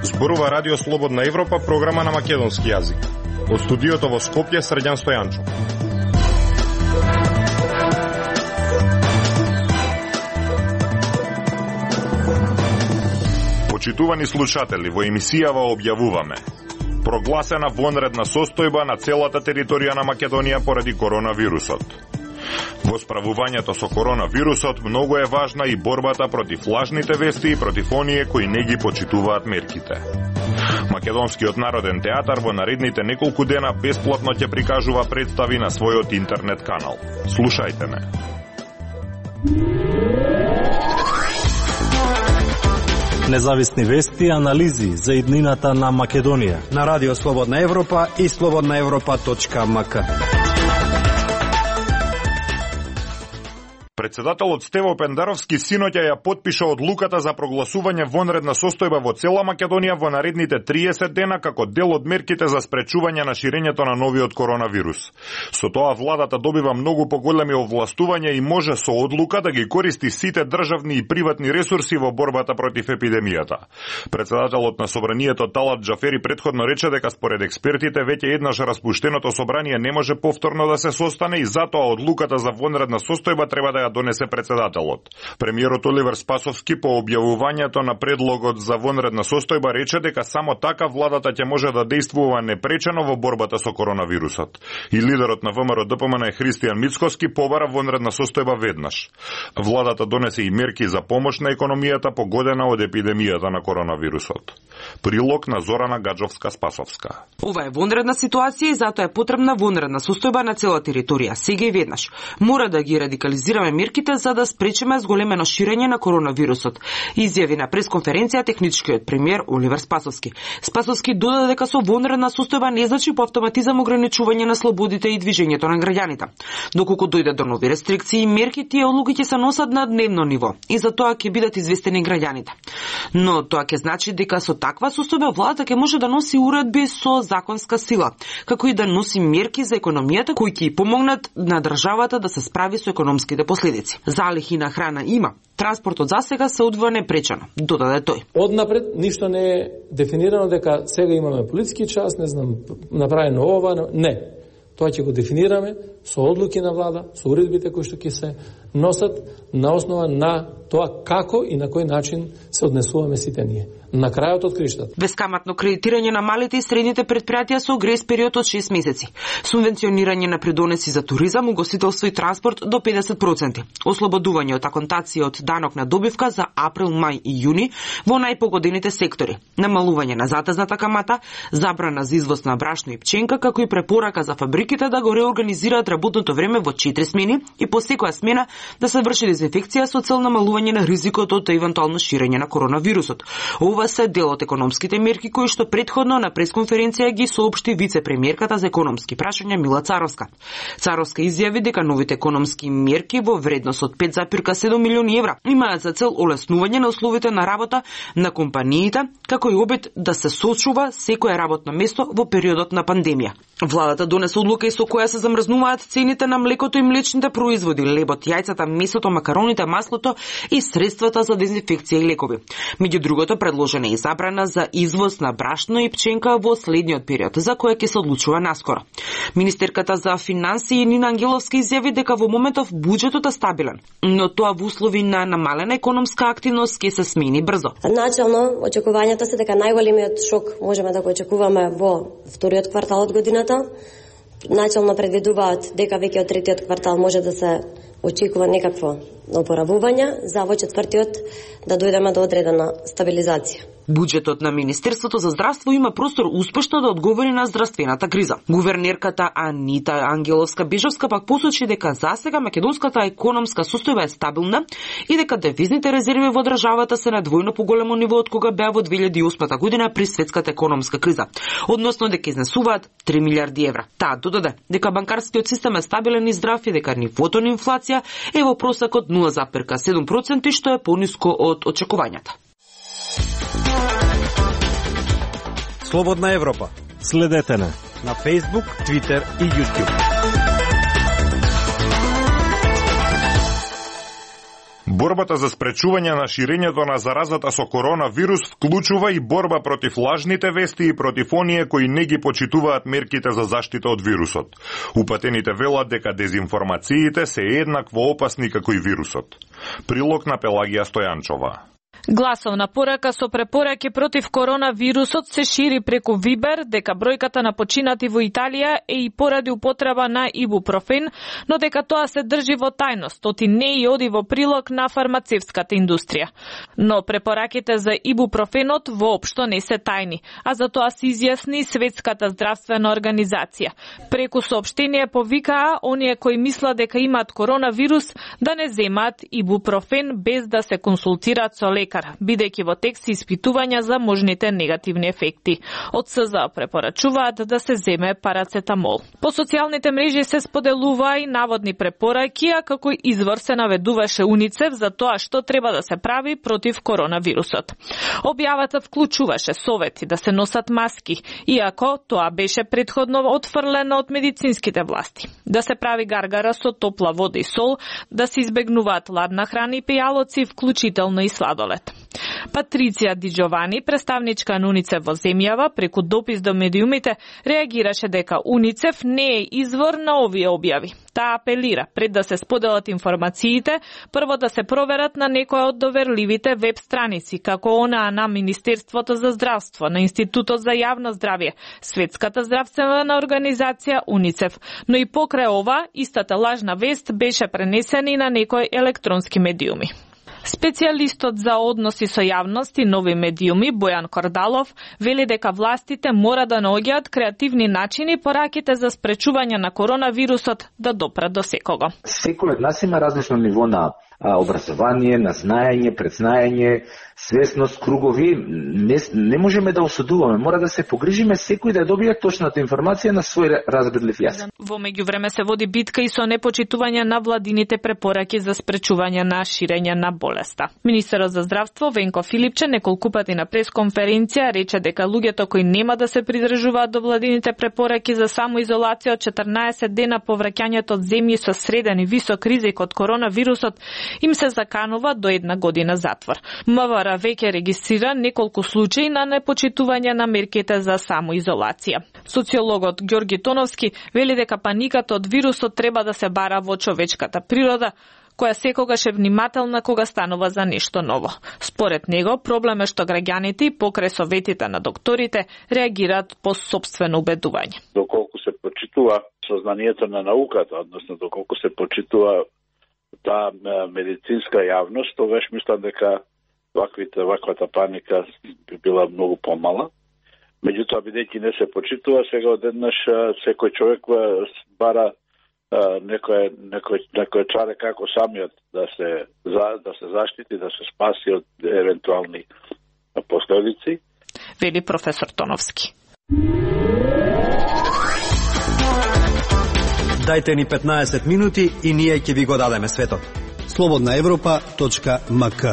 Зборува Радио Слободна Европа, програма на македонски јазик. Од студиото во Скопје, Срđan Стојанчо. Почитувани слушатели, во емисијава објавуваме: прогласена вонредна состојба на целата територија на Македонија поради коронавирусот. Во справувањето со коронавирусот многу е важна и борбата против лажните вести и против оние кои не ги почитуваат мерките. Македонскиот народен театар во наредните неколку дена бесплатно ќе прикажува представи на својот интернет канал. Слушајте ме. Независни вести и анализи за иднината на Македонија на Радио Слободна Европа и slobodnaevropa.mk. Председателот Стево Пендаровски синоќа ја потпиша одлуката за прогласување вонредна состојба во цела Македонија во наредните 30 дена како дел од мерките за спречување на ширењето на новиот коронавирус. Со тоа владата добива многу поголеми овластувања и може со одлука да ги користи сите државни и приватни ресурси во борбата против епидемијата. Председателот на собранието Талат Џафери претходно рече дека според експертите веќе еднаш распуштеното собрание не може повторно да се состане и затоа одлуката за вонредна состојба треба да ја донесе председателот. Премиерот Оливер Спасовски по објавувањето на предлогот за вонредна состојба рече дека само така владата ќе може да действува непречено во борбата со коронавирусот. И лидерот на ВМРО ДПМН Христијан Мицкоски побара вонредна состојба веднаш. Владата донесе и мерки за помош на економијата погодена од епидемијата на коронавирусот. Прилог на Зорана Гаджовска-Спасовска. Ова е вонредна ситуација и затоа е потребна вонредна состојба на цела територија. Сега и веднаш. Мора да ги радикализираме мерките за да спречиме зголемено ширење на коронавирусот, изјави на пресконференција техничкиот премиер Оливер Спасовски. Спасовски додаде дека со вонредна состојба не значи по автоматизам ограничување на слободите и движењето на граѓаните. Доколку дојде до нови рестрикции и мерки, тие одлуки ќе се носат на дневно ниво и за тоа ќе бидат известени граѓаните. Но тоа ќе значи дека со таква состојба владата ќе може да носи уредби со законска сила, како и да носи мерки за економијата кои ќе и помогнат на државата да се справи со економските последици. Залихи на храна има. Транспортот засега се одвива непречено, додаде тој. Однапред ништо не е дефинирано дека сега имаме полициски час, не знам, направено ова, не. Тоа ќе го дефинираме со одлуки на влада, со уредбите кои што ќе се носат на основа на тоа како и на кој начин се однесуваме сите ние. На крајот од криштата. Бескаматно кредитирање на малите и средните предпријатија со грејс период од 6 месеци. Субвенционирање на придонеси за туризам, угостителство и транспорт до 50%. Ослободување од аконтација од данок на добивка за април, мај и јуни во најпогодените сектори. Намалување на затезната камата, забрана за извоз на брашно и пченка, како и препорака за фабриките да го реорганизираат работното време во 4 смени и по секоја смена да се врши дезинфекција со цел намалување на ризикот од евентуално ширење на коронавирусот. Ова се дел од економските мерки кои што претходно на пресконференција ги соопшти вице-премиерката за економски прашања Мила Царовска. Царовска изјави дека новите економски мерки во вредност од 5,7 милиони евра имаат за цел олеснување на условите на работа на компаниите, како и обид да се сочува секое работно место во периодот на пандемија. Владата донесе одлука и со која се замрзнуваат цените на млекото и млечните производи, лебот, јајцата, месото, макароните, маслото и средствата за дезинфекција и лекови. Меѓу другото, предложена е и забрана за извоз на брашно и пченка во следниот период, за која ќе се одлучува наскоро. Министерката за финансии Нина Ангеловска изјави дека во моментов буџетот е стабилен, но тоа во услови на намалена економска активност ќе се смени брзо. Начално, очекувањата се дека најголемиот шок можеме да го очекуваме во вториот квартал од годината. Начално предвидуваат дека веќе од третиот квартал може да се очекува некакво опоравување, за во четвртиот да дојдеме до одредена стабилизација. Буџетот на Министерството за здравство има простор успешно да одговори на здравствената криза. Гувернерката Анита Ангеловска-Бежовска пак посочи дека засега македонската економска состојба е стабилна и дека девизните резерви во државата се на двојно поголемо ниво од кога беа во 2008 година при светската економска криза, односно дека изнесуваат 3 милиарди евра. Таа додаде дека банкарскиот систем е стабилен и здрав и дека нивото на инфлација е во просек од 0,7%, што е пониско од очекувањата. Слободна Европа. Следете на Facebook, Twitter и YouTube. Борбата за спречување на ширењето на заразата со коронавирус вклучува и борба против лажните вести и против оние кои не ги почитуваат мерките за заштита од вирусот. Упатените велат дека дезинформациите се еднакво опасни како и вирусот. Прилог на Пелагија Стојанчова. Гласовна порака со препораки против коронавирусот се шири преку Вибер дека бројката на починати во Италија е и поради употреба на ибупрофен, но дека тоа се држи во тајност, оти не и оди во прилог на фармацевската индустрија. Но препораките за ибупрофенот воопшто не се тајни, а за тоа се изјасни Светската здравствена организација. Преку соопштение повикаа оние кои мислат дека имаат коронавирус да не земаат ибупрофен без да се консултираат со лекар, бидејќи во тек се испитувања за можните негативни ефекти. Од СЗА препорачуваат да се земе парацетамол. По социјалните мрежи се споделуваа и наводни препораки, а како извор се наведуваше УНИЦЕФ за тоа што треба да се прави против коронавирусот. Објавата вклучуваше совети да се носат маски, иако тоа беше претходно отфрлено од медицинските власти. Да се прави гаргара со топла вода и сол, да се избегнуваат ладна храна и пијалоци, вклучително и сладолед. Патриција Ди Джовани, представничка на УНИЦЕФ во земјава, преку допис до медиумите, реагираше дека УНИЦЕФ не е извор на овие објави. Таа апелира, пред да се споделат информациите, прво да се проверат на некоја од доверливите веб страници, како онаа на Министерството за здравство, на Институтот за јавно здравје, Светската здравствена организација УНИЦЕФ. Но и покрај ова, истата лажна вест беше пренесена и на некои електронски медиуми. Специјалистот за односи со јавност и нови медиуми Бојан Кордалов вели дека властите мора да наоѓаат креативни начини пораките за спречување на коронавирусот да допрат до секого. Секој од нас има различно ниво на образование, на знаење, предзнаење, свесност, кругови. Не можеме да осудуваме, мора да се погрижиме секој да добие точната информација на свој разбирлив јазик. Во меѓувреме се води битка и со непочитување на владините препораки за спречување на ширење на болеста. Министерот за здравство Венко Филипче неколку пати на пресконференција рече дека луѓето кои нема да се придржуваат до владините препораки за самоизолација од 14 дена по враќањето од земји со среден и висок ризик од коронавирусот им се заканува до 1 година затвор. МВР веќе регистрира неколку случаи на непочитување на мерките за самоизолација. Социологот Ѓорги Тоновски вели дека паниката од вирусот треба да се бара во човечката природа, која секогаш е внимателна кога станува за нешто ново. Според него, проблем е што граѓаните и покрај советите на докторите реагираат по сопствено убедување. Доколку се почитува сознанието на науката, односно доколку се почитува таа медицинска јавност, тогаш мислам дека ваквата паника би била многу помала. Меѓутоа, бидејќи не се почитува, сега одеднаш секој човек бара некој чаре како самиот да се заштити, да се спаси од евентуални последици. Вели професор Тоновски. Дајте ни 15 минути и ние ќе ви го дадеме светот. slobodnaevropa.mk.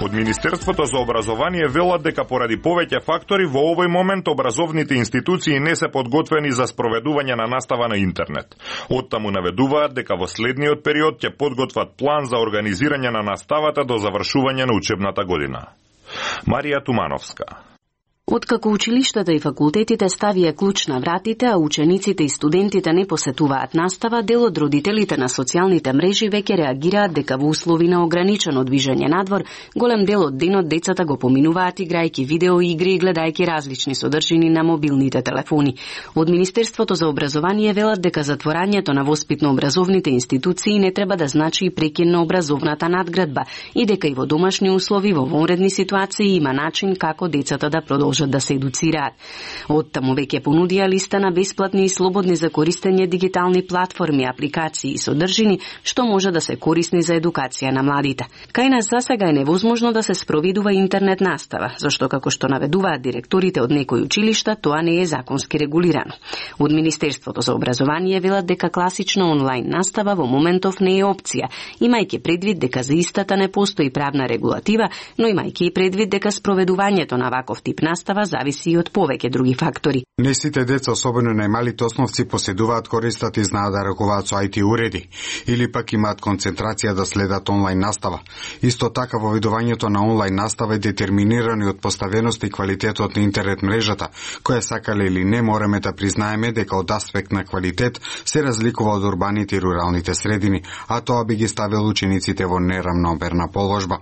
Од Министерството за образование велат дека поради повеќе фактори во овој момент образовните институции не се подготвени за спроведување на настава на интернет. Оттаму наведуваат дека во следниот период ќе подготват план за организирање на наставата до завршување на учебната година. Марија Тумановска. Откако училиштата и факултетите ставија клуч на вратите, а учениците и студентите не посетуваат настава, дел од родителите на социјалните мрежи веќе реагираат дека во услови на ограничено движење надвор, голем дел од денот децата го поминуваат играјќи видеоигри и гледајќи различни содржини на мобилните телефони. Од Министерството за образование велат дека затворањето на воспитно-образовните институции не треба да значи и прекин на образовната надградба и дека и во домашни услови во вонредни ситуации има начин како децата да продолжат да се едуцираат. Оттаму веќе понудија листа на бесплатни и слободни за користење дигитални платформи, апликации и содржини што може да се корисни за едукација на младите. Кај нас засега е невозможно да се спроведува интернет настава, зашто како што наведуваат директорите од некои училишта, тоа не е законски регулирано. Од Министерството за образование велат дека класична онлайн настава во моментов не е опција, имајќи предвид дека за истата не постои правна регулатива, но имајќи и предвид дека спроведувањето на ваков тип настава зависи и од повеќе други фактори. Не сите деца, особено најмалите основци, поседуваат, користат и знаат да ракуваат со IT уреди, или пак имаат концентрација да следат онлайн настава. Исто така, воведувањето на онлайн настава е детерминирано од поставеноста и квалитетот на интернет мрежата, која сакале или не мораме да признаеме дека од аспект на квалитет се разликува од урбаните и руралните средини, а тоа би ги ставило учениците во неравномерна положба.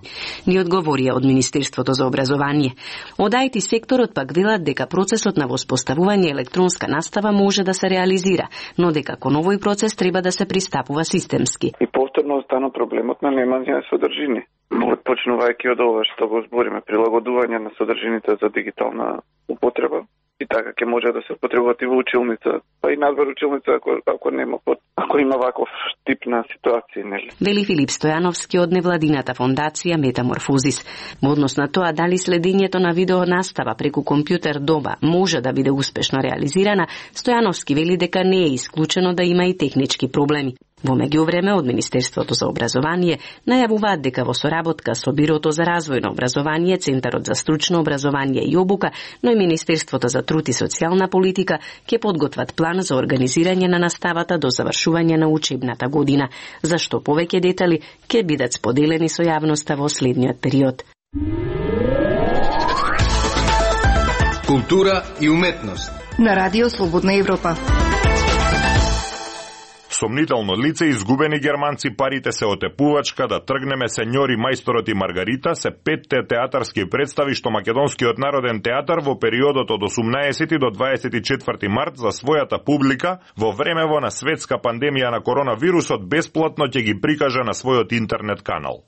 Ни одговорија од Министерството за образование. Од IT секторот пак велат дека процесот на воспоставување електронска настава може да се реализира, но дека кон овој процес треба да се пристапува системски. И повторно остана проблемот на немање содржини. Почнувајќи од ова што го збориме, прилагодување на содржините за дигитална употреба, и така ќе може да се употребуваат и во училница, па и надвор училница ако има ваков тип на ситуација, нели? Вели Филип Стојановски од невладината фондација Метаморфозис. Во однос на тоа дали следењето на видео настава преку компјутер доба може да биде успешно реализирана, Стојановски вели дека не е исклучено да има и технички проблеми. Во меѓувреме од Министерството за образование најавуваат дека во соработка со Бирото за развој на образование, Центарот за стручно образование и обука, но и Министерството за труд и социјална политика ќе подготват план за организирање на наставата до завршување на учебната година, за што повеќе детали ќе бидат споделени со јавноста во следниот период. Култура и уметност на Радио Слободна Европа. Сомнително лице, изгубени германци, парите се отепувачка, да тргнеме, сеньори, мајсторот и Маргарита се 5 театарски представи што Македонскиот народен театар во периодот од 18 до 24 март за својата публика во времево на светска пандемија на коронавирусот бесплатно ќе ги прикаже на својот интернет канал.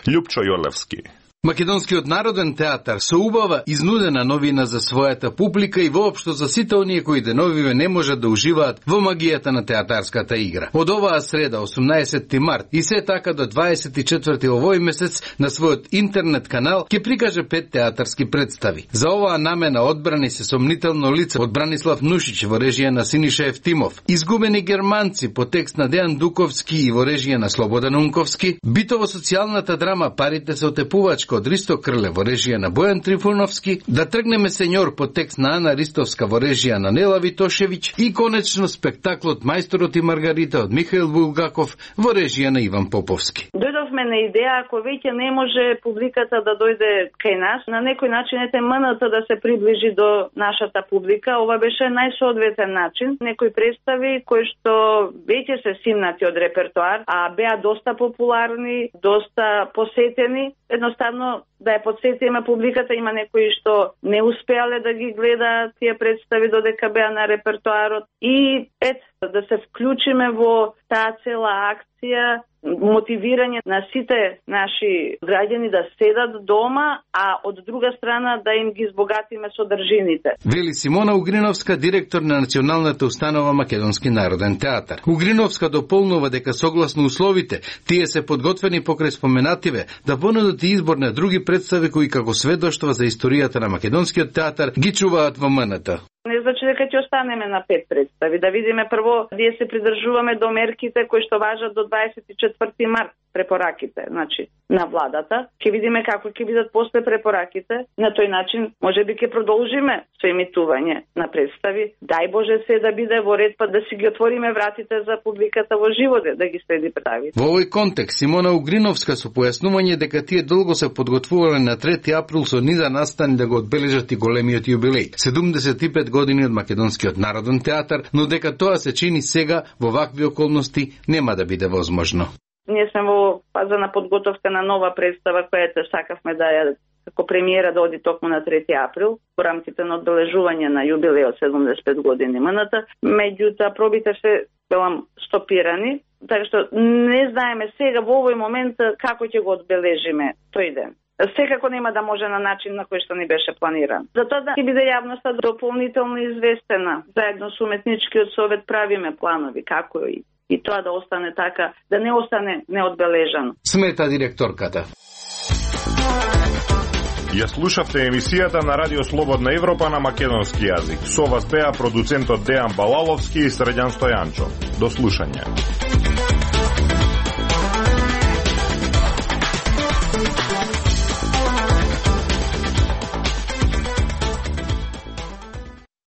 Љупчо Јолевски. Македонскиот народен театар со убава изнудена новина за својата публика и воопшто за сите оние кои деновиве не можат да уживаат во магијата на театарската игра. Од оваа среда, 18 март и се така до 24 овој месец на својот интернет канал ќе прикаже 5 театарски представи. За оваа намена одбрани се сомнително лице од Бранислав Нушич во режија на Синиша Евтимов, изгубени германци по текст на Дејан Дуковски и во режија на Слободан Унковски, битово социјалната драма Парите се отепувачка од Ристо Крле во режија на Бојан Трифуновски, Да тргнеме сеньор по текст на Ана Ристовска во режија на Нела Витошевиќ и конечно спектаклот Мајсторот и Маргарита од Михаил Булгаков во режија на Иван Поповски. Дојдовме на идеја, ако веќе не може публиката да дојде кај нас, на некој начин МНТ да се приближи до нашата публика. Ова беше најсоодветен начин. Некои представи кои што веќе се симнати од репертоар, а беа доста популарни, доста посетени, едноставно да ја подсетиме публиката, има некои што не успеале да ги гледаат тие представи додека беа на репертоарот и да се вклучиме во таа цела акција, мотивирање на сите наши граѓани да седат дома, а од друга страна да им ги збогатиме содржините. Вели Симона Угриновска, директор на Националната установа Македонски народен театар. Угриновска дополнува дека согласно условите, тие се подготвени покрај споменативе да понудат избор на други представи кои како сведоштва за историјата на Македонскиот театар ги чуваат во МНТ. Не значи дека ќе останеме на 5 представи. Да видиме прво, ние се придржуваме до мерките кои што важат до 24 март, препораките, значи, на владата. Ќе видиме како ќе бидат после препораките. На тој начин, можеби ќе продолжиме со емитување на представи. Дај Боже се да биде во ред, па да си ги отвориме вратите за публиката во живот, да ги следи представи. Во овој контекст, Симона Угриновска со појаснување дека тие долго се подготвувале на 3 април со низа настани да го одбележат и големиот јубилеј. 75 години од Македонскиот народен театар, но дека тоа се чини сега во вакви околности нема да биде возможно. Ние сме во фаза на подготовка на нова представа која сакавме да ја како премиера да оди токму на 3 април во рамките на одбележување на јубилејот 75 години МНТ. Меѓутоа пробите се стопирани, така што не знаеме сега во овој момент како ќе го одбележиме тој ден. Секако нема да може на начин на кој што ни беше планиран. Затоа да ќе биде јавноста дополнително известена. Заедно со уметничкиот совет правиме планови како и тоа да остане така, да не остане неодбележано. Смета директорката. Ја слушавте емисијата на Радио Слободна Европа на македонски јазик. Со вас беа продуцентот Дејан Балаловски и Средјан Стојанчо. До слушање.